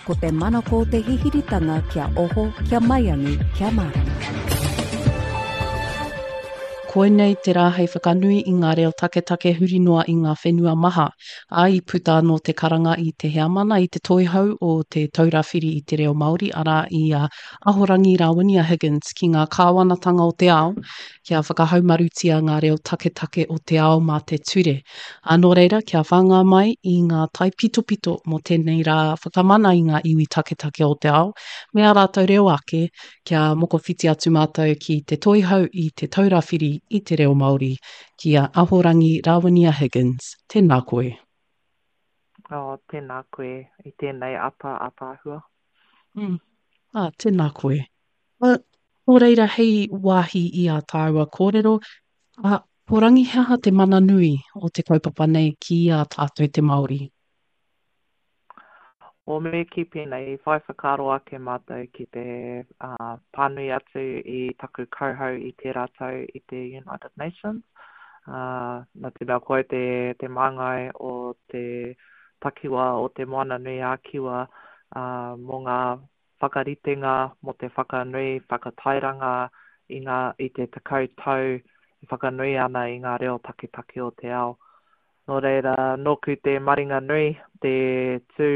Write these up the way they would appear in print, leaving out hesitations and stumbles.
Ko te manako o te hihiritanga kia oho, kia maiangi, kia mārama. Koinei te rā hei whakanui i ngā reo taketake huri noa i ngā whenua maha, ā, i puta anō te karanga i te heamana i te toihau o Te Taura Whiri i te Reo Māori, arā, i a Ahorangi Rawinia Higgins ki ngā kāwanatanga o te ao kia whakahaumarutia ngā reo taketake o te ao mā te ture. Ā, nō reira, kia whāngai mai i ngā taipitopito mō tēnei rā whakamana i ngā iwi taketake o te ao me ā rātou reo ake, kia mokowhiti atu mātou ki te toihau i Te Taura Whiri i te Reo Māori, ki a Ahorangi Rawinia Higgins. Tēnā koe. Oh, tēnā koe i tēnei ata ātaahua. Mm. Ah, tēnā koe. Uh, nō reira, hei wāhi i ā tāua kōrero, uh, ko Rangi he aha te mana nui o te kaupapa nei ki a tātou te Māori? O me kī pēnei, i whai whakaaro ake mātou ki te uh, pānui atu i taku kauhau i tērā tau i te United Nations. Uh, nā te mea ko au te, te māngai o te takiwā o Te Moana-nui-a-Kiwa mō ngā whakaritenga mō te whakanui, whakatairanga i ngā, i te 10 tau e whakanui ana i ngā reo taketake o te ao. Nō reira, nōku te maringa nui, te tū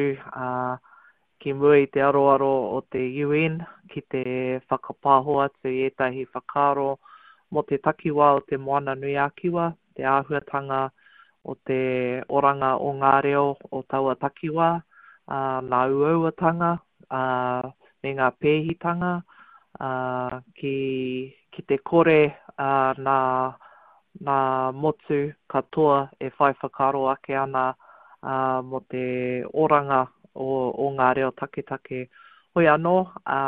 ki mua i te aroaro o te UN ki te whakapāho atu i ētahi whakaaro mō te takiwā o Te Moana-nui-a-Kiwa, te āhuatanga o te oranga o ngā reo o taua takiwā, ā, ngā uauatanga, ā, me ngā pēhitanga, ā, ki, ki te kore, ā, nā, nā motu katoa e whai whakaaro ake ana, ā, mō te oranga o, o ngā reo taketake. Hoi anō, ā,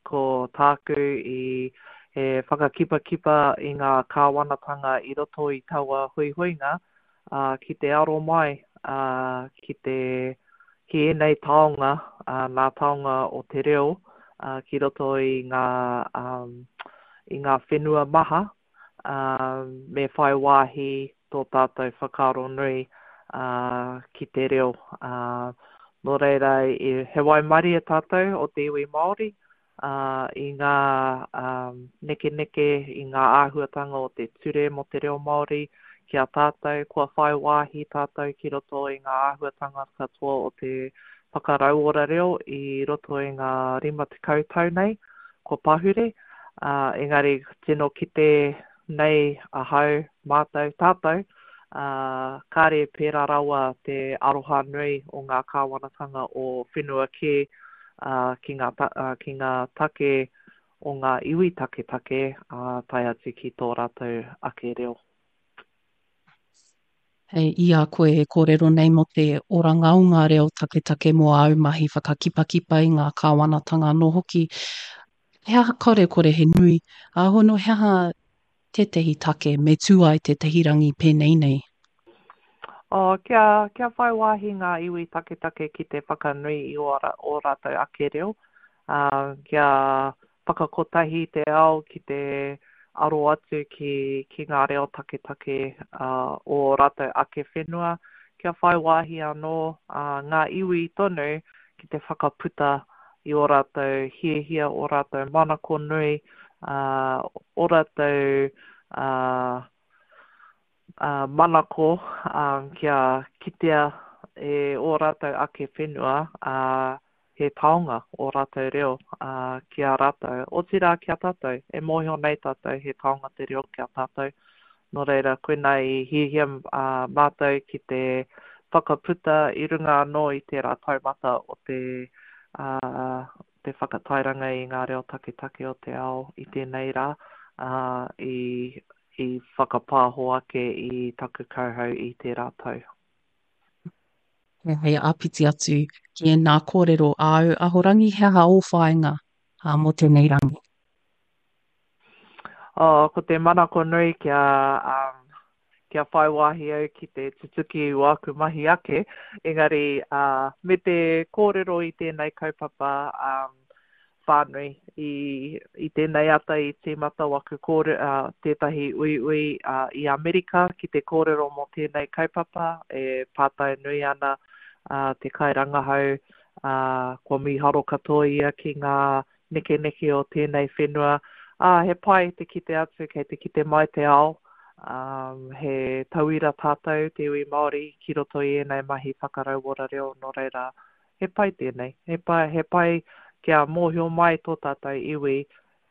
ko tāku i he whakakipakipa i ngā kāwanatanga i roto i taua huihuinga, ā, ki te aro mai, ā, ki te, ki ēnei taonga, ā, ngā taonga o te reo, ā, ki roto i ngā, ā, i ngā whenua maha, ā, me whai wāhi tō tātou whakaaro nui, ā, ki te reo. Ā, nō reira, he waimarie tātou o te iwi Māori, ā, i ngā, ā, nekeneke, i ngā āhuatanga o te ture mō te reo Māori ki a tātou, kua whai wāhi tātou ki roto i ngā āhuatanga katoa o te whakarauora reo i roto i ngā 50 tau nei kua pahure. Ā, engari tino kite nei ahau, mātou, tātou, ā, kāre pērā rawa te aroha nui o ngā kāwanatanga o whenua kē, ā, ki ngā, ā, ki ngā take o ngā iwi taketake, ā, tae atu ki tō rātou ake reo. Hei i a koe e kōrero nei mō te oranga o ngā reo taketake mō āu mahi whakakipakipa i ngā kāwanatanga anō hoki, He aha kore kore he nui, ā hono he aha tētehi take me tū ai tētehi rangi pēnei nei? Oh, kia, kia whai wāhi ngā iwi taketake ki te whakanui i ō, ō rātou ake reo, ā, kia whakakotahi te ao ki te aro atu ki, ki ngā reo taketake ā, o ō rātou ake whenua, kia whai wāhi anō ā, ngā iwi tonu ki te whakaputa i ō rātou hiahia, ō rātou manako nui, ā, ō rātou ā, ā, manako ā, kia kitea e ō rātou ake whenua, ā, he taonga ō rātou reo ā, ki a rātou, otirā ki a tātou. E mōhio nei tātou he taonga te reo ki a tātou. Nō reira, koinā i hiahia mātou ki te whakaputa i runga anō i tērā taumata o te, te whakatairanga i ngā reo taketake o te ao i tēnei rā, ā, i, i whakapāho ake i taku kauhau i tērā tau. Hei āpiti atu ki ēnā kōrero āu, Ahorangi, he aha ō whāinga mō tēnei rangi? Oh, ko te manako nui kia, um, kia whai wāhi au ki te tutuki i wāku mahi ake, engari uh, me te kōrero i tēnei kaupapa um, whānui i, i tēnei ata i tīmata waku kōre, uh, tētahi uiui uh, i Amerika ki te kōrero mō tēnei kaupapa e pātai nui ana uh, te kairangahau. Ā, kua mīharo katoa ia ki ngā nekeneke o tēnei whenua. Ā, he pai te kite atu kei te kite mai te ao, ā, he tauira tātou, te iwi Māori, ki roto i ēnei mahi whakarauora reo, nō reira, he pai tēnei. He pai, he pai kia mōhio mai tō tātou iwi,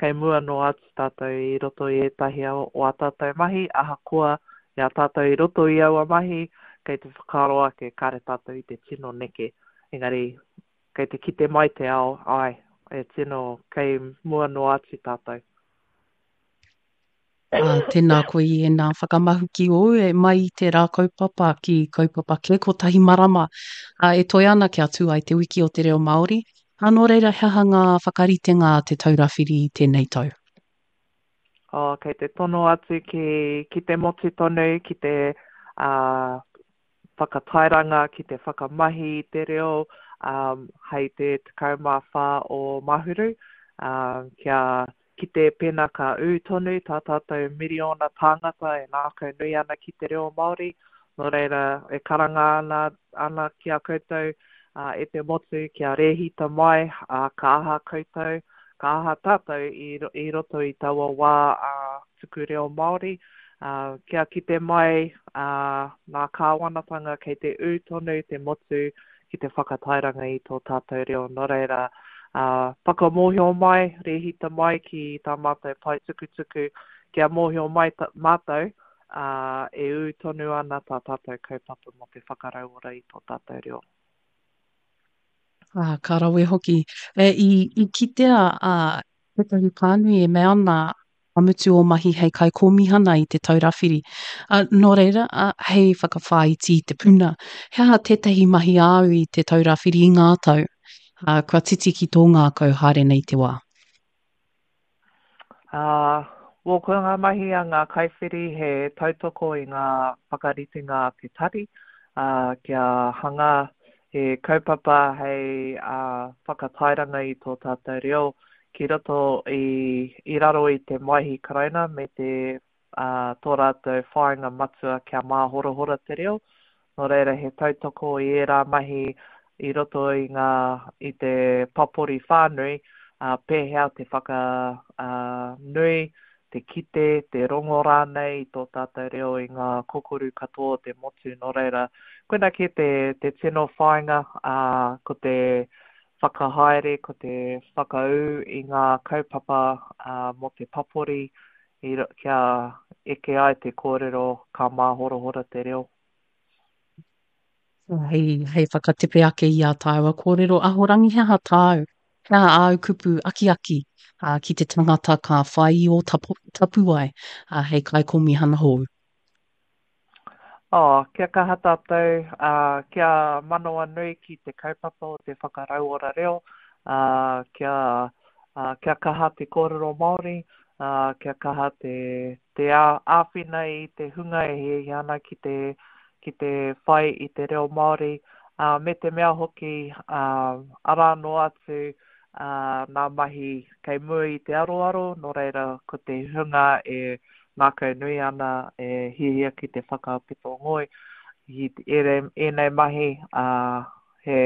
kei mua noa atu tātou i roto i ētahi o ā tātou mahi, ahakoa i a tātou i roto i aua mahi, kei te whakaaro ake kāre tātou i te tino neke. Engari, kei te kite mai te ao, āe, e tino kei mua noa atu tātou. Ā, tēnā koe i ēnā whakamahuki ōu e mai i tērā kaupapa ki kaupapa kē kotahi marama, ā, e toe ana kia tū ai Te Wiki o te Reo Māori. Ā, nō reira, he aha ngā whakaritenga a Te Taura Whiri i tēnei tau? Oh, kei te tono atu ki, ki te motu tonu, ki te ā, whakatairanga, ki te whakamahi i te reo ā, hei te 14 o Mahuru, ā, kia kite pēnā ka ū tonu tā tātou miriona tāngata e ngākau nui ana ki te reo Māori. Nō reira, e karanga ana, ana ki a koutou e te motu kia rēhita mai, ā, ka aha koutou, ka aha tātou i, i roto i taua wā ā, tuku reo Māori, ā, kia kite mai ā, ngā kāwanatanga kei te ū tonu te motu ki te whakatairanga i tō tātou reo. Nō reira, ā, whakamōhio mai, rēhita mai ki tā mātou pae tukutuku, kia mōhio mai mātou, ā, e ū tonu ana tā tātou kaupapa mō te whakarauora i tō tātou reo. Ā, ka rawe hoki. E, i, i kitea, ā, tētahi pānui e mea ana ka mutu ō mahi hei kaikōmihana i Te Taura Whiri. Ā, nō reira, ā, hei whakawhāiti i te puna, he aha tētahi mahi āu i Te Taura Whiri i ngā tau, ā, kua titi ki tō ngākau haere nei te wā? Ā, well, ko ngā mahi a ngā kaiwhiri he tautoko i ngā whakaritenga a te tari, ā, kia hanga he kaupapa hei ā, whakatairanga i tō tātou reo ki roto i, i raro i te Maihi Karauna me te, ā, tō rātou whāinga matua kia māhorahora te reo. Nō reira he tautoko i ērā mahi i roto i ngā, i te papori whānui, ā, pēhea te whaka, ā, nui, te kite, te rongo rānei i tō tātou reo i ngā kokoru katoa o te motu. Nō reira, koina kē te, te tino whāinga, ā, ko te whakahaere, ko te whakaū i ngā kaupapa, ā, mō te papori, i, kia eke ai te kōrero ka māhorahora te reo. Hei, hei whakatepe ake i ā tāua kōrero, Ahorangi he aha tāu, he aha āu kupu akiaki ā, ki te tangata ka whai i ō tapu, tapuwae ā, hei kaikōmihana hou? Oh, kia kaha tātou, ā, kia manawanui ki te kaupapa o te whakarauora reo, ā, kia, ā, kia kaha te kōrero Māori, ā, kia kaha te, te ā, āwhina i te hunga e hiahia ana ki te, ki te whai i te reo Māori, ā, me te mea hoki, ā, arā noa atu, ā, nā mahi kei mua i te aroaro, nō reira, ko te hunga e ngākau nui ana, e hiahia ki te whakapito ngoi i ēnei mahi, ā, he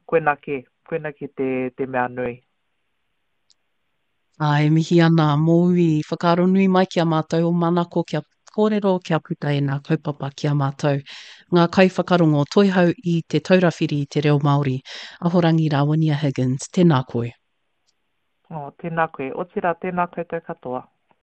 koina kē, koina kē te, te mea nui. Ā, e mihi ana mōu i whakaaro nui mai ki a mātou o Manako kia kōrero, kia puta ēnā kaupapa ki a mātou. Ngā kaiwhakarongo toihau i Te Taura Whiri i te Reo Māori, Ahorangi Rāwania Higgins, tēnā koe. Oh, tēnā koe. Otirā, tēnā koutou katoa.